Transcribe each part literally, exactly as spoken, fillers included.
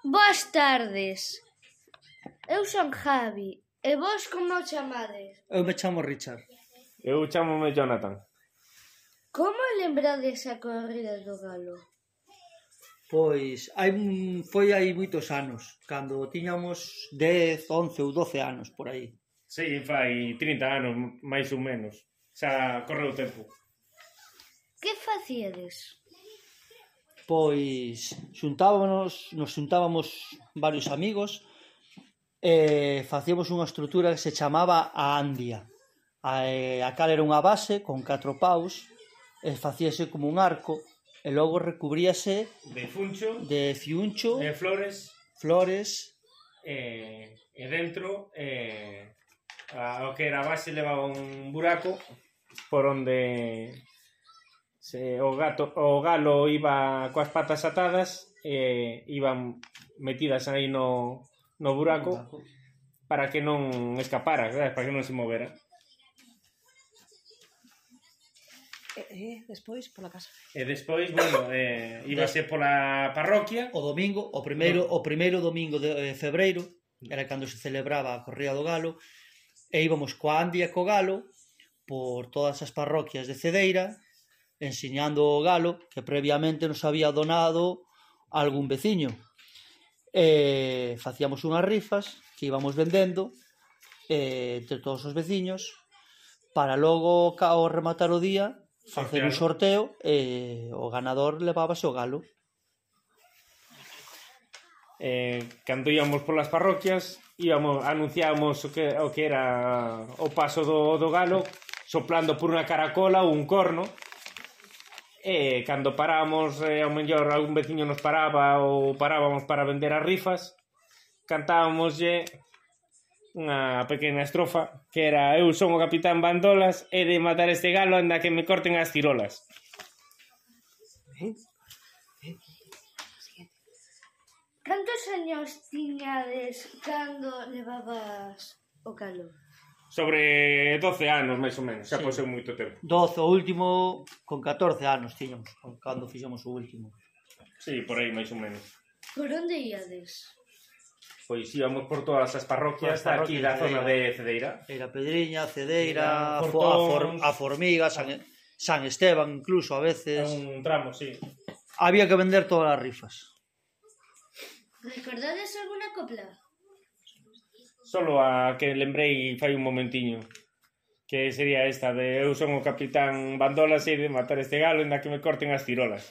Boas tardes. Eu son Javi. E vos como chamades? Eu me chamo Richard. Eu chamome Jonathan. Como lembrades a corrida do galo? Pois hai foi hai moitos anos, cando tiñamos dez, once ou doce anos por aí. Sí, fai trinta anos, máis ou menos. Xa correu o tempo. Que facíades? Pois xuntábamos, nos xuntábamos varios amigos e facíamos unha estrutura que se chamaba a Andia. A, a cal era unha base con catro paus e facíase como un arco e logo recubríase de funcho, de fiuncho, de flores, flores e, e dentro e, a, o que era a base levaba un buraco por onde se, o, gato, o galo iba coas patas atadas e iban metidas aí no, no buraco para que non escapara, ¿sabes? Para que non se movera. E, e despois pola casa. E despois, bueno, eh, íbase pola parroquia. O domingo, o primeiro, o primeiro domingo de febreiro, era cando se celebraba a corrida do galo, e íbamos coa Andia co galo por todas as parroquias de Cedeira, ensiñando o galo que previamente nos había donado algún veciño. E facíamos unhas rifas que íbamos vendendo eh, entre todos os veciños para logo, ao rematar o día, facer un sorteo e o ganador levábase o galo. Eh, cando íamos polas parroquias íbamos, anunciábamos o que, o que era o paso do, do galo soplando por unha caracola ou un corno e cando parábamos eh, ao mellor algún veciño nos paraba ou parábamos para vender as rifas cantábamoslle unha pequena estrofa que era: eu son o capitán Bandolas e de matar este galo anda que me corten as tirolas. Cantos años tiñades cando levabas o galo? Sobre doce anos, máis ou menos, xa Sí. poseu moito tempo. doce, o último con catorce anos tiñamos, cando fixemos o último. Sí, por aí máis ou menos. Por onde íades? Pois íbamos por todas as parroquias As parroquias aquí da de zona Cedeira. de Cedeira. Era Pedriña, Cedeira, Era a, For, a, For, Fortóns. a Formiga, San, San Esteban incluso a É veces. un tramo, sí. Había que vender todas as rifas. Recordades alguna copla? Solo a que lembrei fai un momentiño, que sería esta de eu son o capitán Bandolas e de matar este galo ainda que me corten as tirolas.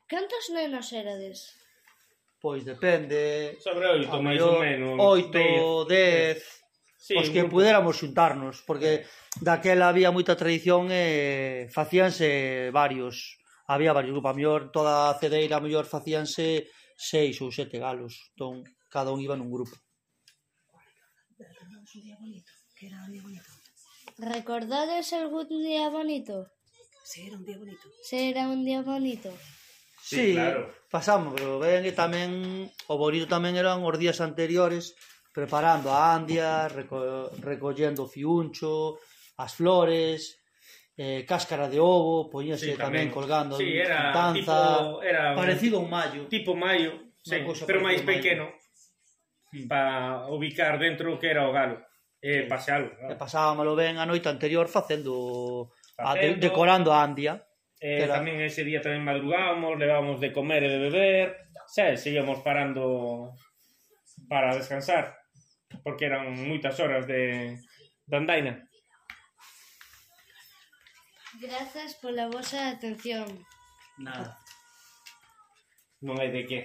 Cantos nenos erades? Pois depende. Sobre oito, a máis mellor ou menos. Oito, dez. Sí, Os que un grupo. puderamos xuntarnos, porque daquela había moita tradición e facíanse varios. Había varios grupos, a mellor toda a Cedeira a mellor facíanse seis ou sete galos. Entón, cada un iba nun grupo. Recordades un día bonito, que era un día bonito. Recordades algún día bonito? Se era un día bonito. Se era un día bonito? Sí, claro. Pasamos, pero ven que tamén o bonito tamén eran os días anteriores preparando a Andia, reco recollendo o fiuncho, as flores, eh, cáscara de ovo, poñíase Sí, tamén, tamén colgando sí, era tanza, tipo, era un- parecido a un mallo. tipo maio, sí, cousa pero máis parecida a un pequeno, Mm. para ubicar dentro o que era o galo e Sí. pasealo. E Claro. pasábamelo ben a noite anterior facendo, a, de, Facendo. decorando a Andia. Eh, Era- tamén ese día tamén madrugábamos, levábamos de comer e de beber, xa, seguíamos parando para descansar, porque eran moitas horas de, de andaina. Grazas pola vosa atención. Nada. Non hai de que.